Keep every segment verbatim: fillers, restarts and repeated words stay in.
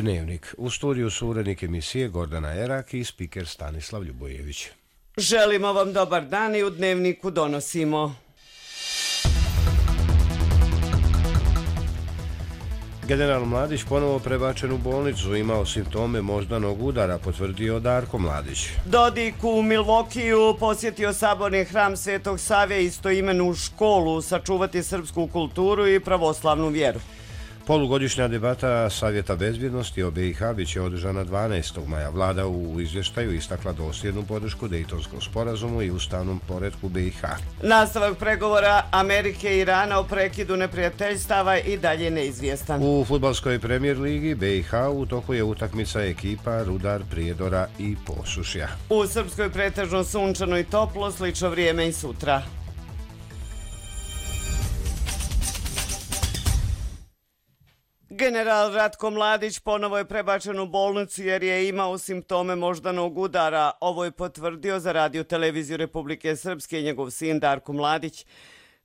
Dnevnik. U studiju su urednik emisije Gordana Erak i spiker Stanislav Ljubojević. Želimo vam dobar dan i u Dnevniku donosimo. General Mladić ponovo prebačen u bolnicu, imao simptome moždanog udara, potvrdio Darko Mladić. Dodik u Milvokiju posjetio saborni hram Svetog Save, istoimenu školu, sačuvati srpsku kulturu i pravoslavnu vjeru. Polugodišnja debata Savjeta bezbjednosti o B i H biće održana dvanaestog maja. Vlada u izvještaju istakla dosljednu podršku Dejtonskom sporazumu i ustavnom poretku B i H. Nastavak pregovora Amerike i Irana o prekidu neprijateljstava i dalje neizvjestan. U fudbalskoj premijer ligi B i H u toku je utakmica ekipa Rudar, Prijedora i Posušja. U Srpskoj pretežno sunčano i toplo, slično vrijeme i sutra. General Ratko Mladić ponovo je prebačen u bolnicu jer je imao simptome moždanog udara. Ovo je potvrdio za Radio Televiziju Republike Srpske njegov sin Darko Mladić.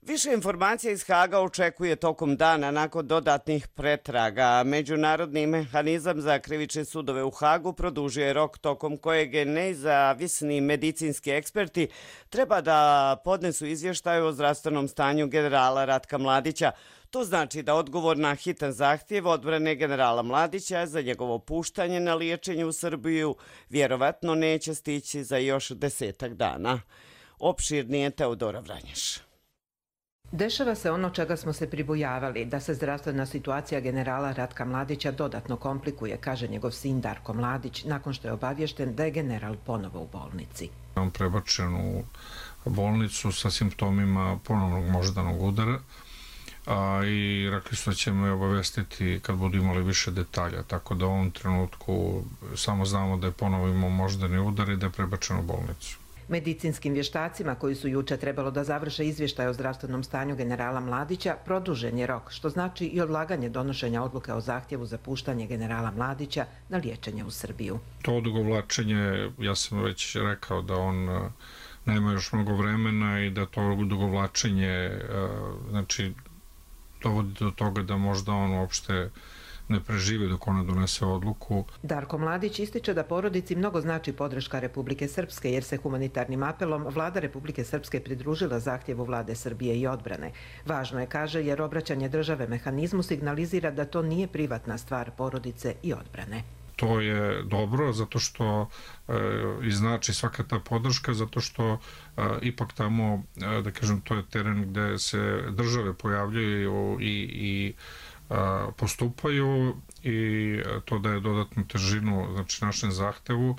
Više informacija iz Haga očekuje tokom dana nakon dodatnih pretraga. Međunarodni mehanizam za krivične sudove u Hagu produžio je rok tokom kojeg nezavisni medicinski eksperti treba da podnesu izvještaj o zdravstvenom stanju generala Ratka Mladića. To znači da odgovor na hitan zahtjev odbrane generala Mladića za njegovo puštanje na liječenje u Srbiju vjerovatno neće stići za još desetak dana. Opširnije Teodora Vranješ. Dešava se ono čega smo se pribojavali, da se zdravstvena situacija generala Ratka Mladića dodatno komplikuje, kaže njegov sin Darko Mladić, nakon što je obavješten da je general ponovo u bolnici. On prebačen u bolnicu sa simptomima ponovnog moždanog udara, a i rekli su da ćemo je obavestiti kad budu imali više detalja, tako da u ovom trenutku samo znamo da je ponovo imao moždani udar i da je prebačen u bolnicu. Medicinskim vještacima koji su juče trebalo da završe izvještaj o zdravstvenom stanju generala Mladića produžen je rok, što znači i odlaganje donošenja odluke o zahtjevu za puštanje generala Mladića na liječenje u Srbiju. To odugovlačenje, ja sam već rekao da on nema još mnogo vremena i da to odugovlačenje znači dovodi do toga da možda on uopšte ne preživi dok ona donese odluku. Darko Mladić ističe da porodici mnogo znači podrška Republike Srpske jer se humanitarnim apelom Vlada Republike Srpske pridružila zahtjevu Vlade Srbije i odbrane. Važno je, kaže, jer obraćanje države mehanizmu signalizira da to nije privatna stvar porodice i odbrane. To je dobro zato što e, i znači svaka ta podrška zato što e, ipak tamo, e, da kažem, to je teren gde se države pojavljaju i, i a, postupaju i to daje dodatnu težinu znači našem zahtevu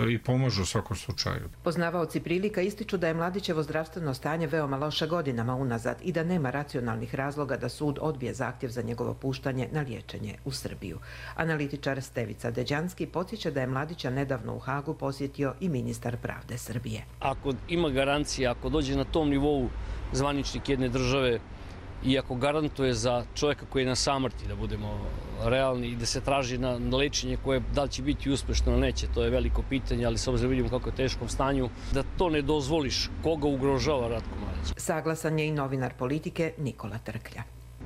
i pomažu u svakom slučaju. Poznavaoci prilika ističu da je Mladićevo zdravstveno stanje veoma loše godinama unazad i da nema racionalnih razloga da sud odbije zahtjev za njegovo puštanje na liječenje u Srbiju. Analitičar Stevica Deđanski podsjeća da je Mladića nedavno u Hagu posjetio i ministar pravde Srbije. Ako ima garancija, ako dođe na tom nivou zvaničnik jedne države i ako garantuje za čovjeka koji je na samrti, da budemo realni i da se traži na lečenje koje da li će biti uspješno ili neće, to je veliko pitanje, ali s obzirom vidimo kako je teškom stanju, da to ne dozvoliš, koga ugrožava Ratko Mladić. Saglasan je i novinar Politike Nikola Trklja.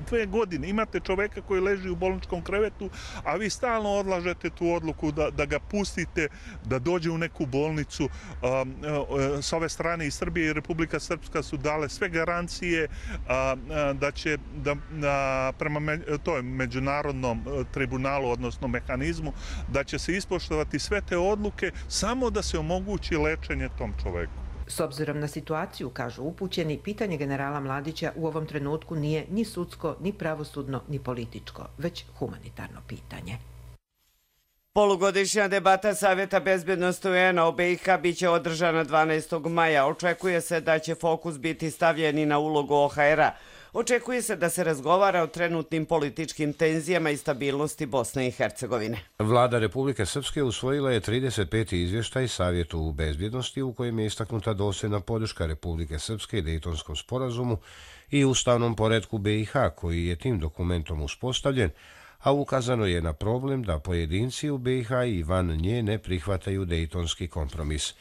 Dve godine imate čoveka koji leži u bolničkom krevetu, a vi stalno odlažete tu odluku da, da ga pustite, da dođe u neku bolnicu. Um, uh, s ove strane i Srbije i Republika Srpska su dale sve garancije uh, da će da, uh, prema me, toj međunarodnom tribunalu, odnosno mehanizmu, da će se ispoštovati sve te odluke samo da se omogući lečenje tom čoveku. S obzirom na situaciju, kažu upućeni, pitanje generala Mladića u ovom trenutku nije ni sudsko, ni pravosudno, ni političko, već humanitarno pitanje. Polugodišnja debata Savjeta bezbjednosti U N-a o B i H biće održana dvanaestog maja. Očekuje se da će fokus biti stavljen i na ulogu O H R-a. Očekuje se da se razgovara o trenutnim političkim tenzijama i stabilnosti Bosne i Hercegovine. Vlada Republike Srpske usvojila je trideset peti izvještaj Savjetu bezbjednosti u kojem je istaknuta dosljedna podrška Republike Srpske i Dejtonskom sporazumu i ustavnom poretku B i H koji je tim dokumentom uspostavljen, a ukazano je na problem da pojedinci u B i H i van nje ne prihvataju Dejtonski kompromis.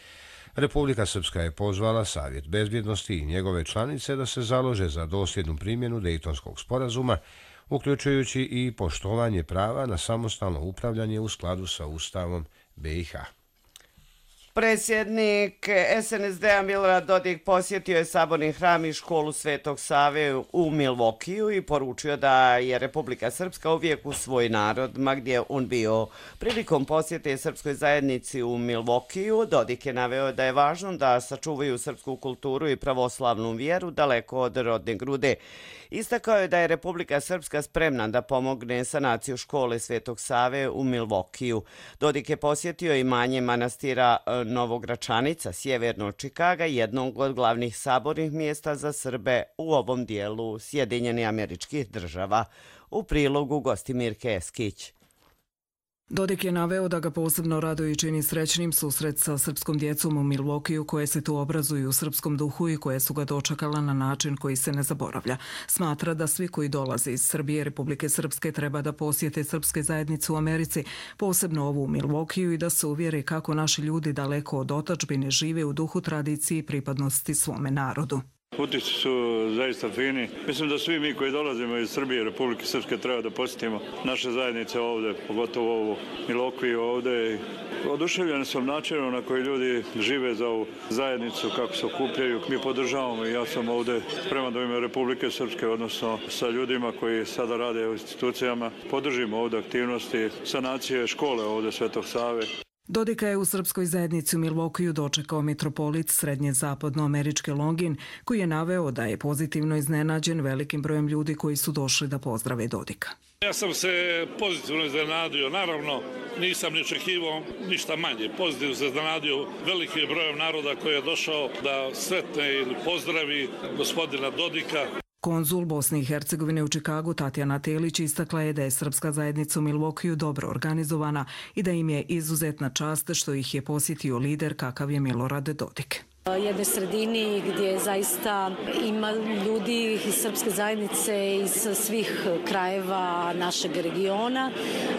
Republika Srpska je pozvala Savjet bezbjednosti i njegove članice da se založe za dosljednu primjenu Dejtonskog sporazuma uključujući i poštovanje prava na samostalno upravljanje u skladu sa Ustavom B i H. Predsjednik S N S D-a Milorad Dodik posjetio je Saborni hram i školu Svetog Save u Milvokiju i poručio da je Republika Srpska uvijek uz svoj narod, ma gdje on bio. Prilikom posjete srpskoj zajednici u Milvokiju, Dodik je naveo da je važno da sačuvaju srpsku kulturu i pravoslavnu vjeru daleko od rodne grude. Istakao je da je Republika Srpska spremna da pomogne sanaciju škole Svetog Save u Milvokiju. Dodik je posjetio imanje manastira Novogračanica, sjeverno od Čikaga, jednog od glavnih sabornih mjesta za Srbe u ovom dijelu Sjedinjenih Američkih Država. U prilogu Gostimirke Eskić. Dodik je naveo da ga posebno raduje i čini srećnim susret sa srpskom djecom u Milvokiju koje se tu obrazuju u srpskom duhu i koje su ga dočekala na način koji se ne zaboravlja. Smatra da svi koji dolaze iz Srbije, Republike Srpske treba da posjete srpske zajednice u Americi, posebno ovu u Milvokiju, i da se uvjeri kako naši ljudi daleko od otadžbine žive u duhu tradicije i pripadnosti svome narodu. Utisci su zaista fini. Mislim da svi mi koji dolazimo iz Srbije i Republike Srpske treba da posjetimo naše zajednice ovdje, pogotovo ovu Milvokiju ovdje. Oduševljen sam načinom na koji ljudi žive za ovu zajednicu, kako se okupljaju. Mi podržavamo i ja sam ovdje spreman da u ime Republike Srpske, odnosno sa ljudima koji sada rade u institucijama, podržimo ovdje aktivnosti sanacije škole ovdje Svetog Save. Dodika je u srpskoj zajednici u Milvokiju dočekao mitropolit srednje zapadnoameričke Longin, koji je naveo da je pozitivno iznenađen velikim brojem ljudi koji su došli da pozdrave Dodika. Ja sam se pozitivno iznenadio, naravno nisam ni očekivao ništa manje. Pozitivno se iznenadio velikim brojem naroda koji je došao da sretne ili pozdravi gospodina Dodika. Konzul Bosne i Hercegovine u Čikagu Tatjana Telić istakla je da je srpska zajednica u Milvokiju dobro organizovana i da im je izuzetna čast što ih je posjetio lider kakav je Milorad Dodik. Jednoj sredini gdje zaista ima ljudi iz srpske zajednice iz svih krajeva našeg regiona,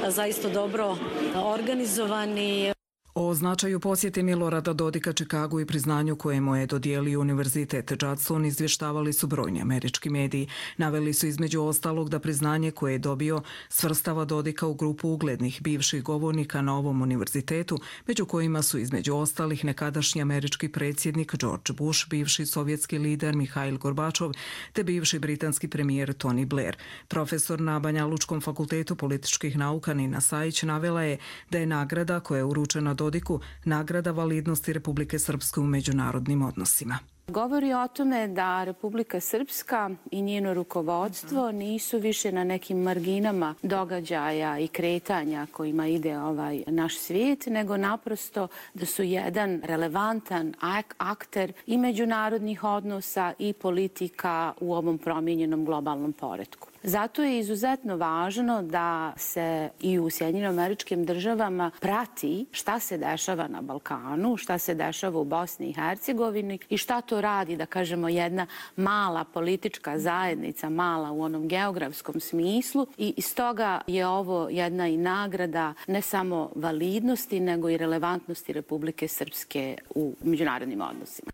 zaista dobro organizovani. O značaju posjete Milorada Dodika Čikagu i priznanju koje mu je dodijelio Univerzitet Judson izvještavali su brojni američki mediji. Naveli su između ostalog da priznanje koje je dobio svrstava Dodika u grupu uglednih bivših govornika na ovom univerzitetu, među kojima su između ostalih nekadašnji američki predsjednik George Bush, bivši sovjetski lider Mihail Gorbačov te bivši britanski premijer Tony Blair. Profesor na Banja Lučkom fakultetu političkih nauka Nina Sajić navela je da je nagrada koja je uručena Dodiku nagrada validnosti Republike Srpske u međunarodnim odnosima. Govori o tome da Republika Srpska i njeno rukovodstvo nisu više na nekim marginama događaja i kretanja kojima ide ovaj naš svijet, nego naprosto da su jedan relevantan akter i međunarodnih odnosa i politika u ovom promijenjenom globalnom poretku. Zato je izuzetno važno da se i u Sjedinjenim Američkim Državama prati šta se dešava na Balkanu, šta se dešava u Bosni i Hercegovini i šta to radi, da kažemo, jedna mala politička zajednica, mala u onom geografskom smislu, i iz toga je ovo jedna i nagrada ne samo validnosti, nego i relevantnosti Republike Srpske u međunarodnim odnosima.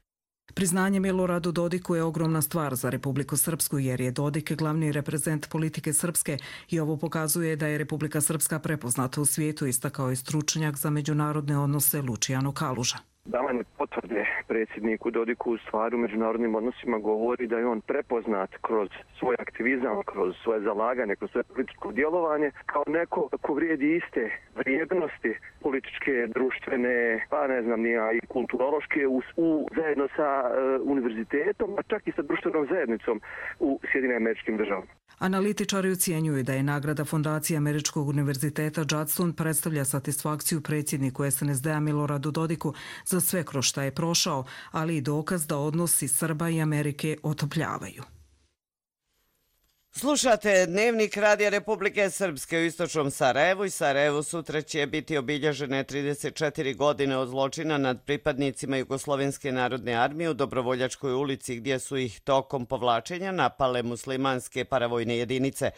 Priznanje Miloradu Dodiku je ogromna stvar za Republiku Srpsku jer je Dodik glavni reprezent politike Srpske i ovo pokazuje da je Republika Srpska prepoznata u svijetu, istakao je stručnjak za međunarodne odnose Lučijano Kaluža. Davanje potvrde predsjedniku Dodiku u stvari u međunarodnim odnosima govori da je on prepoznat kroz svoj aktivizam, kroz svoje zalaganje, kroz svoje političko djelovanje kao neko ko vrijedi iste vrijednosti političke, društvene, pa ne znam nija, i kulturološke u, u, zajedno sa uh, univerzitetom, a čak i sa društvenom zajednicom u Sjedinjenim Američkim Državama. Analitičari ocjenjuju da je nagrada Fondacije Američkog univerziteta Judson predstavlja satisfakciju predsjedniku S N S D-a Miloradu Dodiku za sve kroz šta je prošao, ali i dokaz da odnosi Srba i Amerike otopljavaju. Slušate Dnevnik Radija Republike Srpske u istočnom Sarajevu i Sarajevu sutra će biti obilježene trideset četiri godine od zločina nad pripadnicima Jugoslovenske narodne armije u Dobrovoljačkoj ulici gdje su ih tokom povlačenja napale muslimanske paravojne jedinice.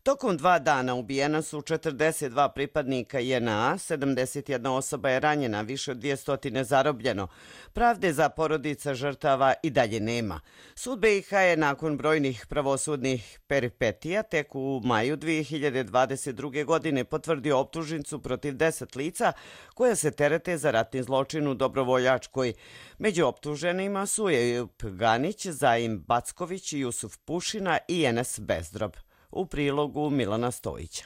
Tokom dva dana ubijena su četrdeset dva pripadnika J N A, sedamdeset jedna osoba je ranjena, više od dvjesto zarobljeno. Pravde za porodica žrtava i dalje nema. Sud B i H je nakon brojnih pravosudnih peripetija tek u maju dvije hiljade dvadeset druge. godine potvrdio optužnicu protiv deset lica koja se terete za ratni zločin u Dobrovoljačkoj. Među optuženima su Ejup Ganić, Zaim Backović, Jusuf Pušina i Enes Bezdrob. U prilogu Milana Stojića.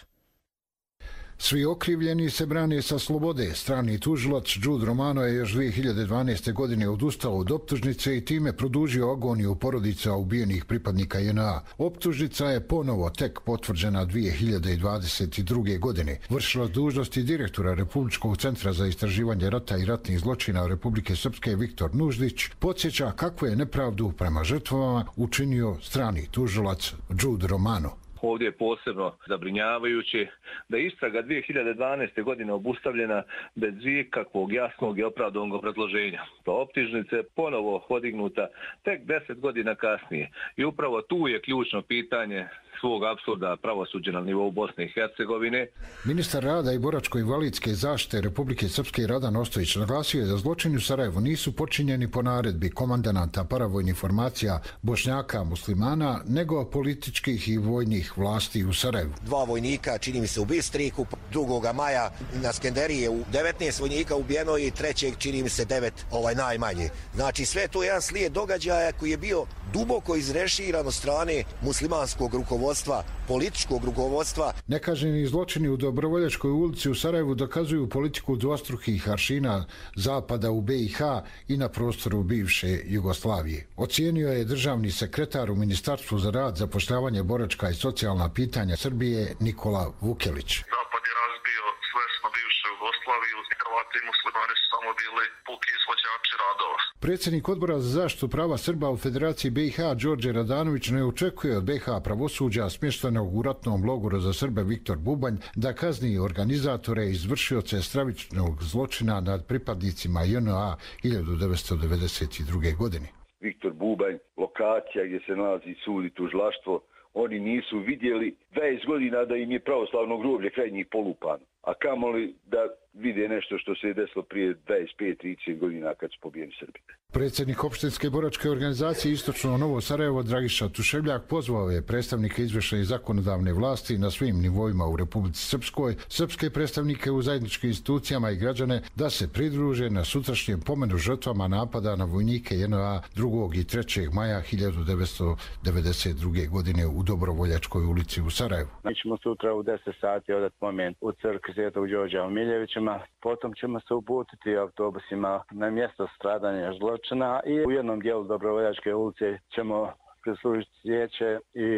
Svi okrivljeni se brane sa slobode. Strani tužilac Jude Romano je još dvije hiljade dvanaeste. godine odustao od optužnice i time produžio agoniju porodica ubijenih pripadnika J N A. Optužnica je ponovo tek potvrđena dvije hiljade dvadeset druge. godine. Vršilac dužnosti direktora Republičkog centra za istraživanje rata i ratnih zločina Republike Srpske Viktor Nuždić podsjeća kakvu je nepravdu prema žrtvama učinio strani tužilac Jude Romano. Ovdje je posebno zabrinjavajuće da je istraga dvije hiljade dvanaeste. godine obustavljena bez ikakvog jasnog i opravdanog obrazloženja. Ta optužnica je ponovo podignuta tek deset godina kasnije i upravo tu je ključno pitanje svog apsurda pravosuđa na nivou Bosne i Hercegovine. Ministar rada i boračko-invalidske zaštite Republike Srpske Radan Ostojić naglasio je da zločini u Sarajevu nisu počinjeni po naredbi komandanata paravojnih formacija Bošnjaka muslimana, nego političkih i vojnih vlasti u Sarajevu. Dva vojnika, čini mi se u Bistriku, drugoga maja na Skenderije, u devetnaest vojnika ubijeno i trećeg, čini mi se devet, ovaj najmanje. Znači sve to je jedan slijed događaja koji je bio duboko izreširan od strane muslimanskog rukovodstva, političkog rukovodstva. Nekažnjeni zločini u Dobrovoljačkoj ulici u Sarajevu dokazuju politiku dvostrukih aršina Zapada u B i H i na prostoru bivše Jugoslavije. Ocijenio je državni sekretar u Ministarstvu za rad, zapošljavanje, boračka i socijalna pitanja Srbije Nikola Vukelić. Zapad je razbio svesno bivšu Jugoslaviju, Hrvati i muslimani su samo bili puki izvođači radova. Predsjednik odbora za zaštitu prava Srba u Federaciji B i H Đorđe Radanović ne očekuje od B i H pravosuđa smještenog u ratnom logoru za Srbe Viktor Bubanj da kazni organizatore i izvršioce stravičnog zločina nad pripadnicima J N A hiljadu devetsto devedeset druge. godine. Viktor Bubanj, lokacija gdje se nalazi sud i tužilaštvo, oni nisu vidjeli dvadeset godina da im je pravoslavno groblje kraj njih polupano. A kamoli da vide nešto što se je desilo prije dvadeset pet trideset godina kad su pobijeni Srbi. Predsjednik opštinske boračke organizacije Istočno Novo Sarajevo Dragiša Tuševljak pozvao je predstavnike izvršne i zakonodavne vlasti na svim nivoima u Republici Srpskoj, srpske predstavnike u zajedničkim institucijama i građane da se pridruže na sutrašnjem pomenu žrtvama napada na vojnike J N A drugog i trećeg maja hiljadu devetsto devedeset druge. godine u Dobrovoljačkoj ulici u Sarajevu. Mi ćemo sutra u deset sati odati pomen u crkvi Svetog Đorđa u Miljevićima, potom ćemo se uputiti autobusima na mjesto stradanja zločina i u jednom dijelu Dobrovoljačke ulice ćemo prislužiti cvijeće i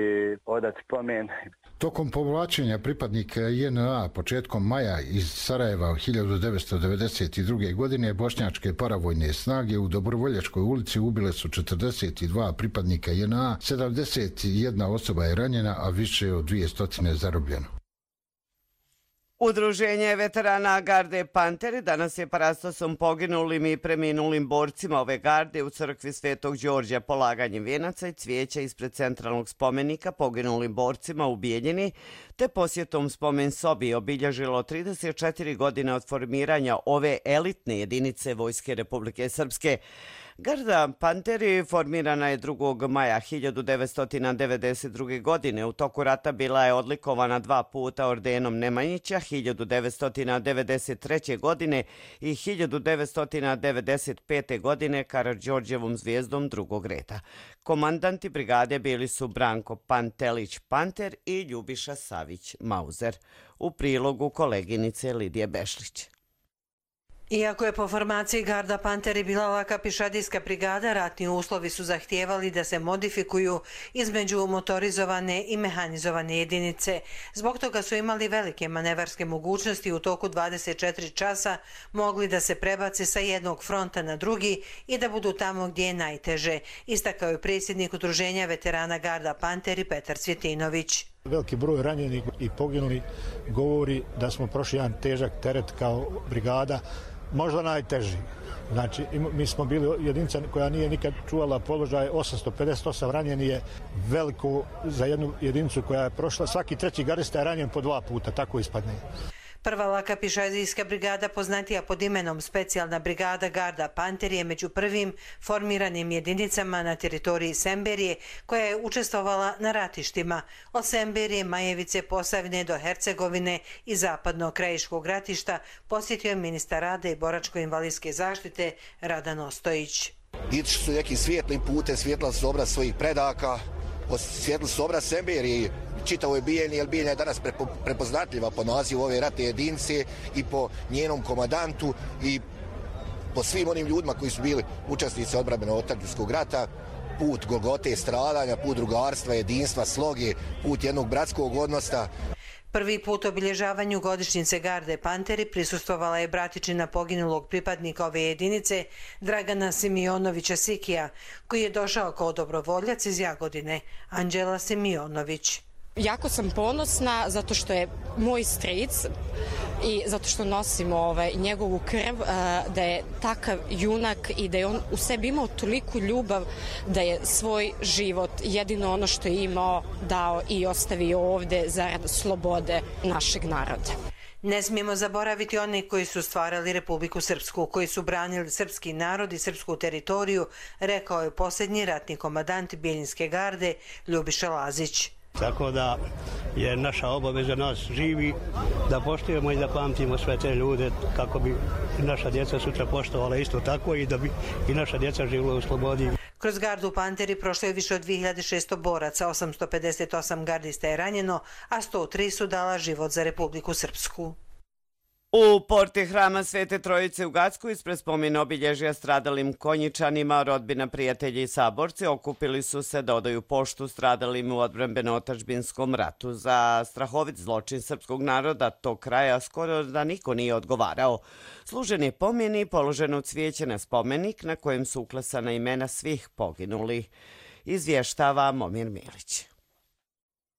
odati pomen. Tokom povlačenja pripadnika J N A početkom maja iz Sarajeva hiljadu devetsto devedeset druge. godine bošnjačke paravojne snage u Dobrovoljačkoj ulici ubile su četrdeset dva pripadnika J N A, sedamdeset jedna osoba je ranjena, a više od dvjesto zarobljeno. Udruženje veterana garde Panteri danas je parastosom poginulim i preminulim borcima ove garde u crkvi Svetog Đorđa polaganjem vijenaca i cvijeća ispred centralnog spomenika poginulim borcima u Bijeljini, te posjetom spomen sobi obilježilo trideset četiri godine od formiranja ove elitne jedinice Vojske Republike Srpske. Garda Panteri formirana je drugog maja hiljadu devetsto devedeset druge. godine. U toku rata bila je odlikovana dva puta ordenom Nemanjića hiljadu devetsto devedeset treće. godine i hiljadu devetsto devedeset pete. godine Karađorđevom zvijezdom drugog reda. Komandanti brigade bili su Branko Pantelić Panter i Ljubiša Savić Mauzer. U prilogu koleginice Lidije Bešlić. Iako je po formaciji Garda Panteri bila laka pišadijska brigada, ratni uslovi su zahtijevali da se modifikuju između motorizovane i mehanizovane jedinice. Zbog toga su imali velike manevarske mogućnosti u toku dvadeset četiri časa mogli da se prebace sa jednog fronta na drugi i da budu tamo gdje je najteže, istakao je predsjednik Udruženja veterana Garda Panteri Petar Cvjetinović. Veliki broj ranjenih i poginuli govori da smo prošli jedan težak teret kao brigada, možda najteži. Znači, mi smo bili jedinica koja nije nikad čuvala položaj, osamsto pedeset osam ranjeni je veliko za jednu jedinicu koja je prošla. Svaki treći gardista je ranjen po dva puta, tako ispadne. Prva laka pišadijska brigada, poznatija pod imenom Specijalna brigada Garda Panter, je među prvim formiranim jedinicama na teritoriji Semberije koja je učestvovala na ratištima od Semberije, Majevice, Posavine do Hercegovine i zapadnog krajiškog ratišta, posjetio je ministar rada i boračko-invalidske zaštite Radan Ostojić. Ići su nekim svijetlim putem, svjetlali su obraz svojih predaka, osvijetlili su obraz Semberije, čitavo je Bijeljni, jer Bijeljna je danas prepoznatljiva po nazivu ove ratne jedinice i po njenom komandantu i po svim onim ljudima koji su bili učesnici odbrambeno-otadžbinskog rata. Put golgote, stradanja, put drugarstva, jedinstva, sloge, put jednog bratskog odnosa. Prvi put obilježavanju godišnjice Garde Panteri prisustvovala je bratičina poginulog pripadnika ove jedinice Dragana Simionovića Sikija, koji je došao kao dobrovoljac iz Jagodine, Anđela Simionović. Jako sam ponosna zato što je moj stric i zato što nosimo ovaj, njegovu krv, da je takav junak i da je on u sebi imao toliku ljubav da je svoj život, jedino ono što je imao, dao i ostavio ovde zarad slobode našeg naroda. Ne smijemo zaboraviti one koji su stvarali Republiku Srpsku, koji su branili srpski narod i srpsku teritoriju, rekao je posljednji ratni komandant Bijeljinske garde Ljubiša Lazić. Tako da je naša obaveza nas živi da poštujemo i da pamtimo sve te ljude kako bi naša djeca sutra poštovala isto tako i da bi i naša djeca živjela u slobodi. Kroz Gardu Panteri prošlo je više od dvije hiljade šesto boraca, osamsto pedeset osam gardista je ranjeno, a sto tri su dala život za Republiku Srpsku. U porti Hrama Svete Trojice u Gacku ispred spomen obilježja stradalim Konjičanima, rodbina, prijatelji i saborci okupili su se da odaju poštu stradalim u odbrambeno-otadžbinskom ratu. Za strahovit zločin srpskog naroda tog kraja skoro da niko nije odgovarao. Služen je pomen i položeno cvijeće na spomenik na kojem su uklesana imena svih poginulih. Izvještava Momir Milić.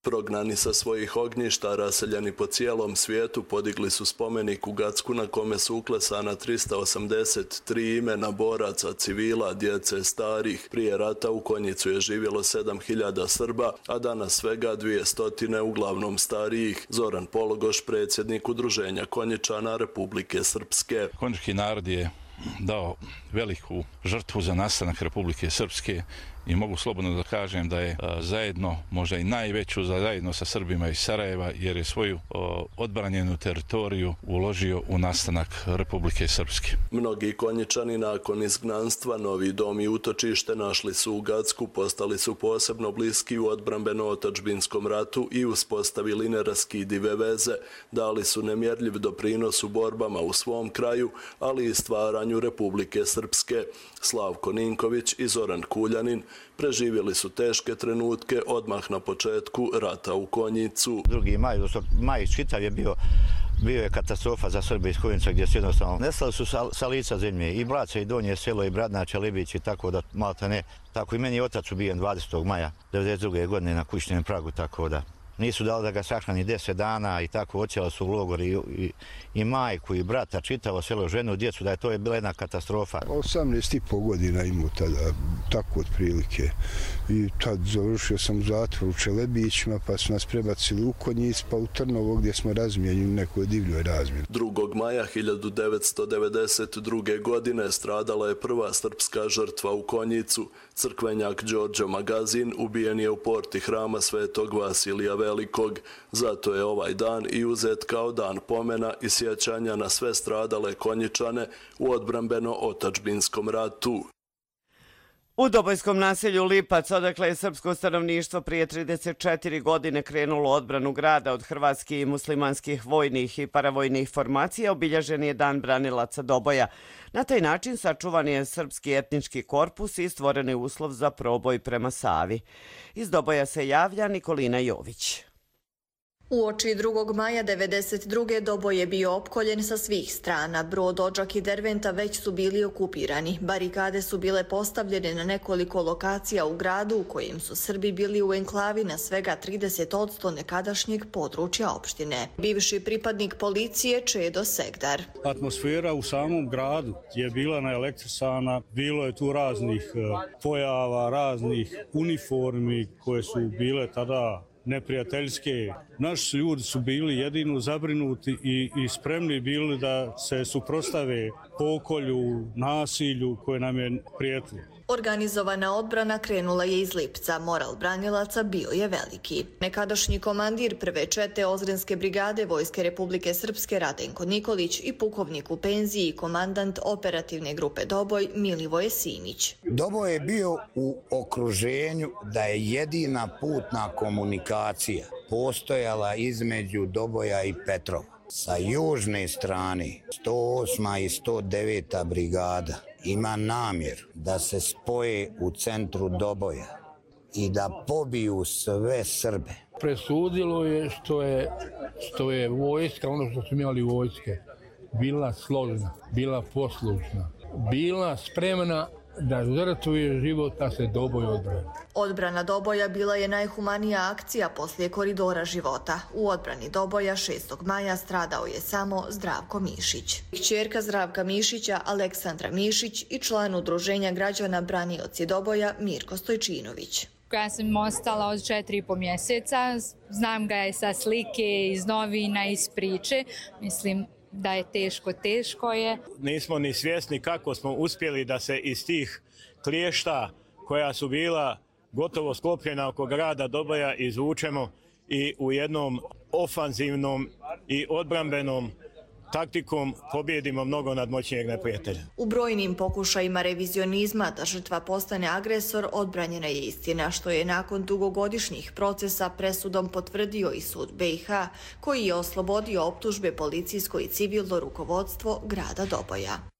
Prognani sa svojih ognjišta, raseljeni po cijelom svijetu, podigli su spomenik u Gacku na kome su uklesana trista osamdeset tri imena boraca, civila, djece, starih. Prije rata u Konjicu je živjelo sedam hiljada Srba, a danas svega dvije stotine, uglavnom starijih. Zoran Pologoš, predsjednik Udruženja Konjičana Republike Srpske. Konjički narod je dao veliku žrtvu za nastanak Republike Srpske i mogu slobodno da kažem da je a, zajedno, možda i najveću za zajedno sa Srbima iz Sarajeva, jer je svoju a, odbranjenu teritoriju uložio u nastanak Republike Srpske. Mnogi Konjičani nakon izgnanstva novi dom i utočište našli su u Gacku, postali su posebno bliski u odbrambeno-otadžbinskom ratu i uspostavili neraskidive veze. Dali su nemjerljiv doprinos u borbama u svom kraju, ali i stvaranju Republike Srpske. Slavko Ninković i Zoran Kuljanin preživjeli su teške trenutke odmah na početku rata u Konjicu. Drugi maj, maj čitav je bio, bio je katastrofa za Srbe iz Konjica gdje su jednostavno nestali su sa, sa lica zemlje i Blace i Donje selo i Bradnače, Libić i tako da malta ne. Tako i meni je otac ubijen dvadesetog maja devedeset druge godine na kućnom pragu, tako da nisu dali da ga sahrani deset dana i tako ocijeli su u logor i, i, i majku i brata, čitavo selo, ženu, djecu, da je to je bila jedna katastrofa. osamnaest i po godina imao tada, tako otprilike. I tad završio sam u zatvoru u Čelebićima, pa su nas prebacili u Konjic, pa u Trnovo gdje smo razmijenili u nekoj divljoj razmjeni. drugog maja hiljadu devetsto devedeset druge. godine stradala je prva srpska žrtva u Konjicu. Crkvenjak Đorđe Magazin ubijen je u porti Hrama Svetog Vasilija Velikog. Zato je ovaj dan i uzet kao dan pomena i sjećanja na sve stradale Konjičane u odbrambeno-otadžbinskom ratu. U Dobojskom naselju Lipac, odakle je srpsko stanovništvo prije trideset četiri godine krenulo odbranu grada od hrvatskih i muslimanskih vojnih i paravojnih formacija, obilježen je Dan branilaca Doboja. Na taj način sačuvan je srpski etnički korpus i stvoren je uslov za proboj prema Savi. Iz Doboja se javlja Nikolina Jović. Uoči drugog maja devedeset druge Doboj je bio opkoljen sa svih strana. Brod, Odžak i Derventa već su bili okupirani. Barikade su bile postavljene na nekoliko lokacija u gradu u kojem su Srbi bili u enklavi na svega trideset odsto nekadašnjeg područja opštine. Bivši pripadnik policije Čedo Segdar. Atmosfera u samom gradu je bila naelektrisana, bilo je tu raznih pojava, raznih uniformi koje su bile tada neprijateljske. Naši ljudi su bili jedino zabrinuti i, i spremni bili da se suprotstave pokolju, nasilju koje nam je prijetilo. Organizovana odbrana krenula je iz Lipca. Moral branilaca bio je veliki. Nekadašnji komandir prve čete Ozrenske brigade Vojske Republike Srpske Radenko Nikolić i pukovnik u penziji i komandant operativne grupe Doboj Milivoje Simić. Doboj je bio u okruženju da je jedina putna komunikacija postojala između Doboja i Petrova. Sa južne strane sto osma i sto deveta brigada ima namjer da se spoje u centru Doboja i da pobiju sve Srbe. Presudilo je što je, što je vojska, ono što su imali vojske, bila složna, bila poslušna, bila spremna da žrtvuje život, da se Doboj odbrani. Odbrana Doboja bila je najhumanija akcija poslije koridora života. U odbrani Doboja šestog maja stradao je samo Zdravko Mišić. Kćerka Zdravka Mišića, Aleksandra Mišić i član udruženja građana Branioci Doboja Mirko Stojčinović. Ja sam ostala od četiri i po mjeseca, znam ga je sa slike, iz novina, iz priče, mislim da je teško, teško je. Nismo ni svjesni kako smo uspjeli da se iz tih kliješta koja su bila gotovo sklopljena oko grada Doboja izvučemo i u jednom ofanzivnom i odbrambenom taktikom pobjedimo mnogo nadmoćnijeg neprijatelja. U brojnim pokušajima revizionizma da žrtva postane agresor odbranjena je istina, što je nakon dugogodišnjih procesa presudom potvrdio i sud B i H, koji je oslobodio optužbe policijsko i civilno rukovodstvo grada Doboja.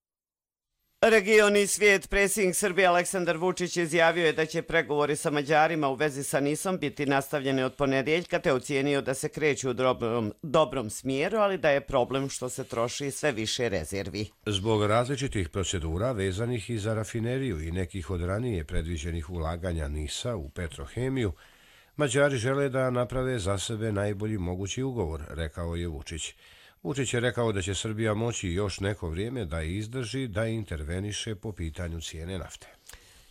Region i svijet. Predsjednik Srbije Aleksandar Vučić izjavio je da će pregovori sa Mađarima u vezi sa Nisom biti nastavljeni od ponedjeljka, te ocijenio da se kreću u dobrom, dobrom smjeru, ali da je problem što se troši sve više rezervi. Zbog različitih procedura vezanih i za rafineriju i nekih od ranije predviđenih ulaganja Nisa u Petrohemiju, Mađari žele da naprave za sebe najbolji mogući ugovor, rekao je Vučić. Vučić je rekao da će Srbija moći još neko vrijeme da izdrži da interveniše po pitanju cijene nafte.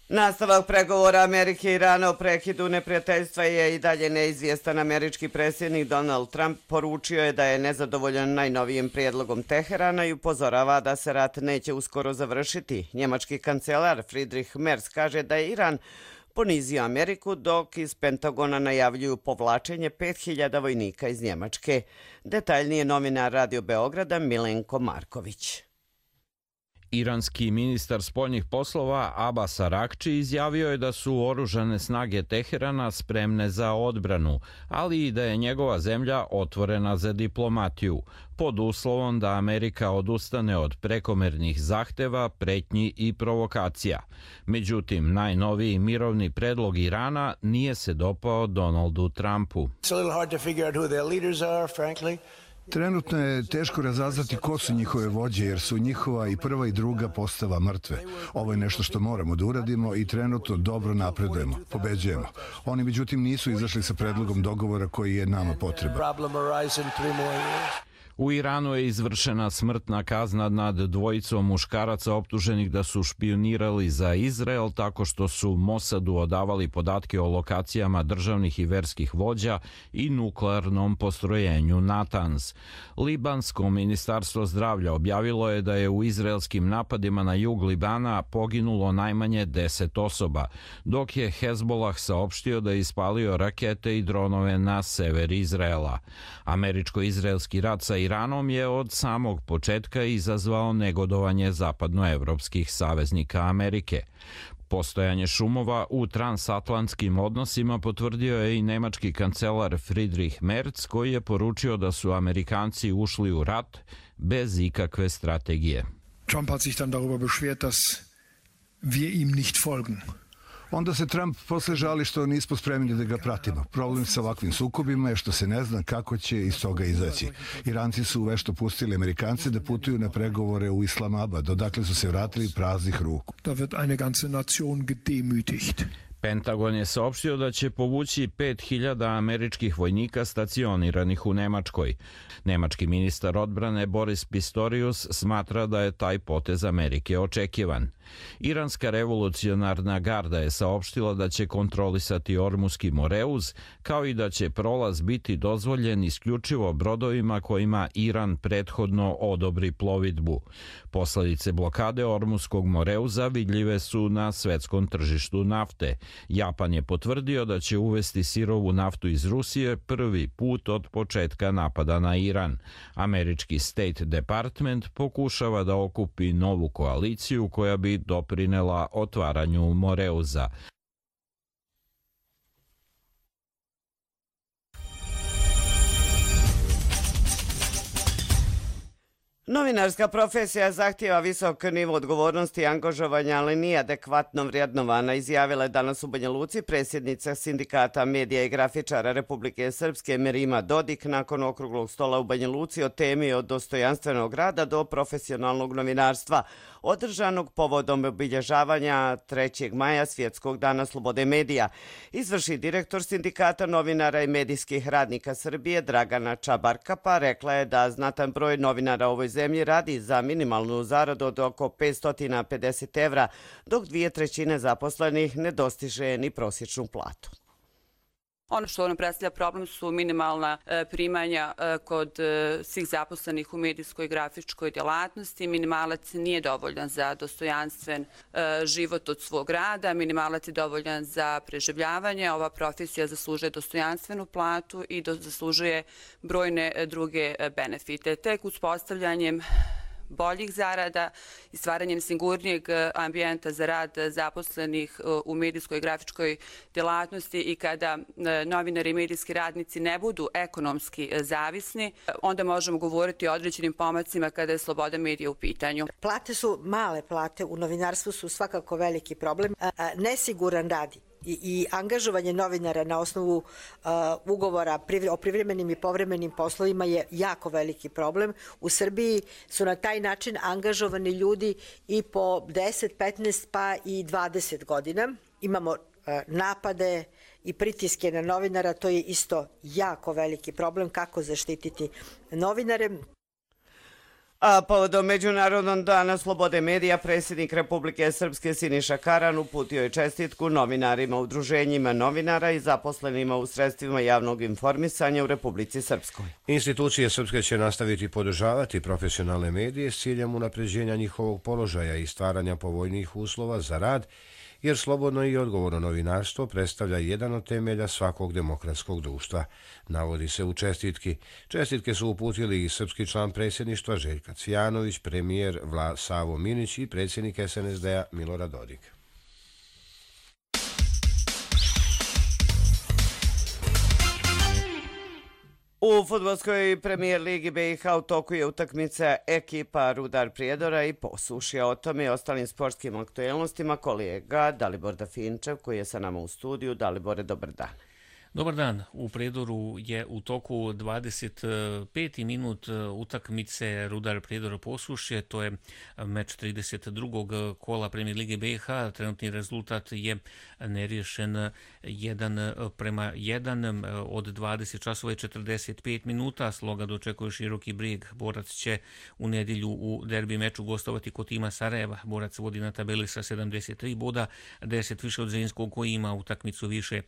Nastavak pregovora Amerike i Irana o prekidu neprijateljstva je i dalje neizvjestan. Američki predsjednik Donald Trump poručio je da je nezadovoljan najnovijim prijedlogom Teherana i upozorava da se rat neće uskoro završiti. Njemački kancelar Friedrich Merz kaže da je Iran ponizio Ameriku, dok iz Pentagona najavljuju povlačenje pet hiljada vojnika iz Njemačke. Detaljnije novinar Radio Beograda Milenko Marković. Iranski ministar spoljnih poslova Abbas Arakči izjavio je da su oružane snage Teherana spremne za odbranu, ali i da je njegova zemlja otvorena za diplomatiju, pod uslovom da Amerika odustane od prekomernih zahteva, pretnji i provokacija. Međutim, najnoviji mirovni predlog Irana nije se dopao Donaldu Trumpu. Trenutno je teško razaznati ko su njihove vođe, jer su njihova i prva i druga postava mrtve. Ovo je nešto što moramo da uradimo i trenutno dobro napredujemo, pobeđujemo. Oni međutim nisu izašli sa predlogom dogovora koji je nama potreban. U Iranu je izvršena smrtna kazna nad dvojicom muškaraca optuženih da su špionirali za Izrael tako što su Mosadu odavali podatke o lokacijama državnih i verskih vođa i nuklearnom postrojenju Natanz. Libansko ministarstvo zdravlja objavilo je da je u izraelskim napadima na jug Libana poginulo najmanje deset osoba, dok je Hezbollah saopštio da je ispalio rakete i dronove na sever Izraela. Američko-izraelski rat sa Iranom je od samog početka izazvao negodovanje zapadnoevropskih saveznika Amerike. Postojanje šumova u transatlantskim odnosima potvrdio je i nemački kancelar Friedrich Merz, koji je poručio da su Amerikanci ušli u rat bez ikakve strategije. Trump hat sich dann darüber beschwert, dass wir ihm nicht folgen. Onda se Trump posle žali što nismo spremni da ga pratimo. Problem sa ovakvim sukobima je što se ne zna kako će iz toga izaći. Iranci su vešto pustili Amerikance da putuju na pregovore u Islamabad, odakle su se vratili praznih ruku. Da wird eine ganze Nation gedemütigt. Pentagon je saopštio da će povući pet hiljada američkih vojnika stacioniranih u Nemačkoj. Nemački ministar odbrane Boris Pistorius smatra da je taj potez Amerike očekivan. Iranska revolucionarna garda je saopštila da će kontrolisati Ormuski Moreuz, kao i da će prolaz biti dozvoljen isključivo brodovima kojima Iran prethodno odobri plovidbu. Posledice blokade Ormuskog Moreuza vidljive su na svetskom tržištu nafte. Japan je potvrdio da će uvesti sirovu naftu iz Rusije prvi put od početka napada na Iran. Američki State Department pokušava da okupi novu koaliciju koja bi doprinela otvaranju Moreuza. Novinarska profesija zahtijeva visok nivo odgovornosti i angažovanja, ali nije adekvatno vrednovana, izjavila je danas u Banja Luci predsjednica Sindikata medija i grafičara Republike Srpske Merima Dodik nakon okruglog stola u Banja Luci o temi od dostojanstvenog rada do profesionalnog novinarstva, održanog povodom obilježavanja trećeg maja Svjetskog dana slobode medija. Izvršni direktor Sindikata novinara i medijskih radnika Srbije Dragana Čabarkapa rekla je da znatan broj novinara u ovoj zemlji radi za minimalnu zaradu od oko petsto pedeset evra, dok dvije trećine zaposlenih ne dostiže ni prosječnu platu. Ono što nam predstavlja problem su minimalna primanja kod svih zaposlenih u medijskoj i grafičkoj djelatnosti. Minimalac nije dovoljan za dostojanstven život od svog rada, minimalac je dovoljan za preživljavanje. Ova profesija zaslužuje dostojanstvenu platu i zaslužuje brojne druge benefite. Tek uspostavljanjem boljih zarada i stvaranjem sigurnijeg ambijenta za rad zaposlenih u medijskoj i grafičkoj djelatnosti i kada novinari i medijski radnici ne budu ekonomski zavisni, onda možemo govoriti o određenim pomacima kada je sloboda medija u pitanju. Plate su male, plate u novinarstvu su svakako veliki problem. Nesiguran rad i, i angažovanje novinara na osnovu uh, ugovora o privremenim i povremenim poslovima je jako veliki problem. U Srbiji su na taj način angažovani ljudi i po deset, petnaest pa i dvadeset godina. Imamo uh, napade i pritiske na novinara, to je isto jako veliki problem kako zaštititi novinare. A povodom Međunarodnog dana slobode medija, predsjednik Republike Srpske Siniša Karan uputio je čestitku novinarima, udruženjima novinara i zaposlenima u sredstvima javnog informisanja u Republici Srpskoj. Institucije srpske će nastaviti podržavati profesionalne medije s ciljem unapređenja njihovog položaja i stvaranja povoljnijih uslova za rad, jer slobodno i odgovorno novinarstvo predstavlja jedan od temelja svakog demokratskog društva, navodi se u čestitki. Čestitke su uputili i srpski član predsjedništva Željka Cvijanović, premijer Vla Savo Minić i predsjednik es en es de-a Milorad Dodik. U fudbalskoj premijer ligi be i ha u toku je utakmica ekipa Rudar Prijedora i Posušja. O tome i ostalim sportskim aktuelnostima kolega Dalibor Dafinčev koji je sa nama u studiju. Dalibore, dobar dan. Dobar dan. U Prijedoru je u toku dvadeset peti minut utakmice Rudar Prijedor Posušje. To je meč trideset drugog kola Premijer lige be i ha. Trenutni rezultat je neriješen jedan prema jedan od dvadeset časova i četrdeset pet minuta. Sloga dočekuje Široki Brijeg. Borac će u nedjelju u derbi meču gostovati kod tima Sarajeva. Borac vodi na tabeli sa sedamdeset tri boda, deset više od Zrinskog koji ima utakmicu više.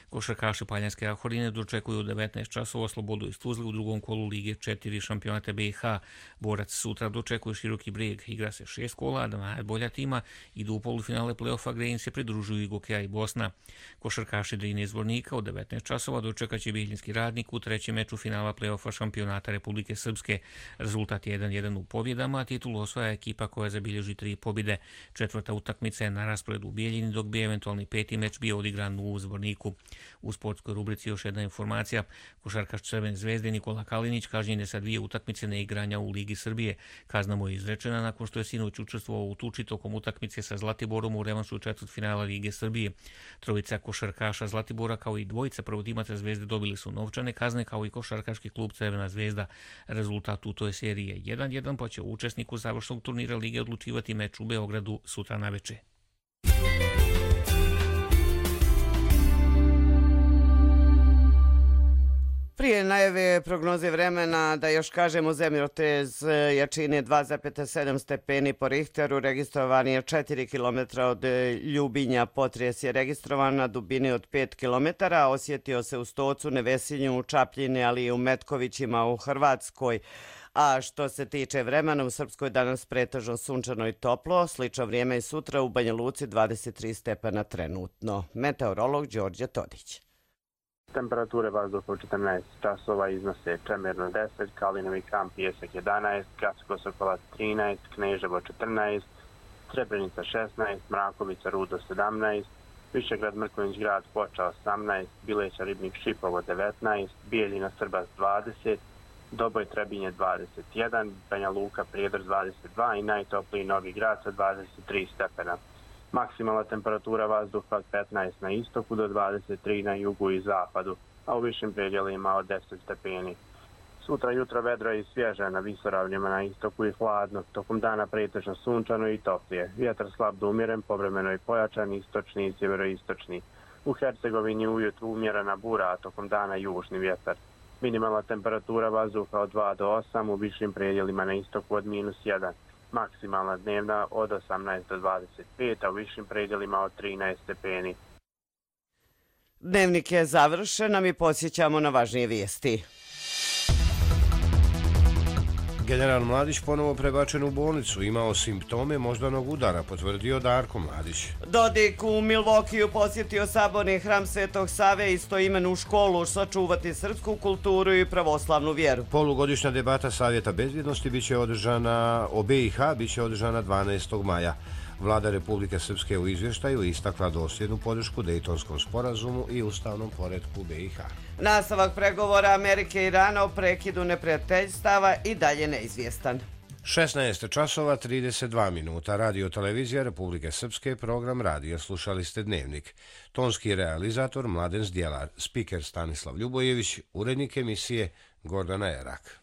Košarkaši Paljanske Ahorine dočekuju u devetnaest časova Slobodu iz Tuzle u drugom kolu Lige četiri šampionata be i ha. Borac sutra dočekuje Široki Brijeg. Igra se šest kola, da najbolja tima idu u polufinale play-offa gdje im se pridružuju i Gokeja i Bosna. Košarkaši Drine iz Vornika u devetnaest časova dočekaće Bijeljinski Radnik u trećem meču finala play-offa šampionata Republike Srpske. Rezultat je jedan jedan u pobjedama, a titulu osvaja ekipa koja zabilježi tri pobjede. Četvrta utakmica je na rasporedu u Bijeljini, dok bi eventualni peti meč bio odigran u Zvorniku. U sportskoj sportskoj rubrici još jedna informacija. Košarkaš Crvene zvezde Nikola Kalinić kažnjen je sa dvije utakmice neigranja u Ligi Srbije. Kazna mu je izrečena nakon što je sinoć učestvovao u tuči tokom utakmice sa Zlatiborom u revanšu četvrtfinala Lige Srbije. Trojica košarkaša Zlatibora kao i dvojica prvotimaca Zvezde dobili su novčane kazne kao i košarkaški klub Crvena zvezda. Rezultat u toj seriji je jedan jedan, pa će učesniku završnog turnira Lige odlučivati meč u Beogradu sutra naveče. Prije najave prognoze vremena da još kažemo zemljotres jačine dva zarez sedam stepeni po Richteru registrovan je četiri kilometra od Ljubinja. Potres je registrovan na dubini od pet kilometara, osjetio se u Stocu, Nevesinju, u Čapljini, ali i u Metkovićima u Hrvatskoj. A što se tiče vremena, u Srpskoj danas pretežno sunčano i toplo, slično vrijeme i sutra u Banja Luci dvadeset tri stepena trenutno. Meteorolog Đorđe Todić. Temperature vazduha u četrnaest časova iznose Čemerno deset, Kalinovi Kamp Pijesak jedanaest, Gacko Sokolac trinaest, Kneževo četrnaest, Srebrenica šesnaest, Mrakovica Rudo sedamnaest, Višegrad Mrkonjić Grad Foča osamnaest, Bileća Ribnik Šipovo devetnaest, Bijeljina Srbas dvadeset, Doboj Trebinje dvadeset jedan, Banja Luka Prijedor dvadeset dva i najtopliji Novi Grad sa dvadeset tri stepena. Maksimalna temperatura vazduha od petnaest na istoku do dvadeset tri na jugu i zapadu, a u višim predjelima od deset stepeni. Sutra jutro vedro i svježe na visoravnjima na istoku i hladno, tokom dana pretežno sunčano i toplije. Vjetar slab do umjeren, povremeno i pojačan, istočni i sjeveroistočni. U Hercegovini ujutru umjerena bura, a tokom dana južni vjetar. Minimalna temperatura vazduha od dva do osam, u višim predjelima na istoku od minus jedan. Maksimalna dnevna od osamnaest do dvadeset pet, a u višim predjelima od trinaest stepeni. Dnevnik je završen, a mi posjećamo na važnije vijesti. General Mladić ponovo prebačen u bolnicu, imao simptome moždanog udara, potvrdio Darko Mladić. Dodik u Milwaukeeu posjetio saborni hram Svetog Save, istoimenu školu, sačuvati srpsku kulturu i pravoslavnu vjeru. Polugodišnja debata Savjeta bezbjednosti biće održana, o B i H biće održana dvanaestog maja. Vlada Republike Srpske u izvještaju istakla dosljednu podršku Dejtonskom sporazumu i ustavnom poretku B i H. Nastavak pregovora Amerike i Irana o prekidu neprijateljstava i dalje neizvjestan. šesnaest časova trideset dva minuta. Radio televizija Republike Srpske, program radija. Slušali ste Dnevnik. Tonski realizator Mladen Zdjelar, spiker Stanislav Ljubojević, urednik emisije Gordana Erak.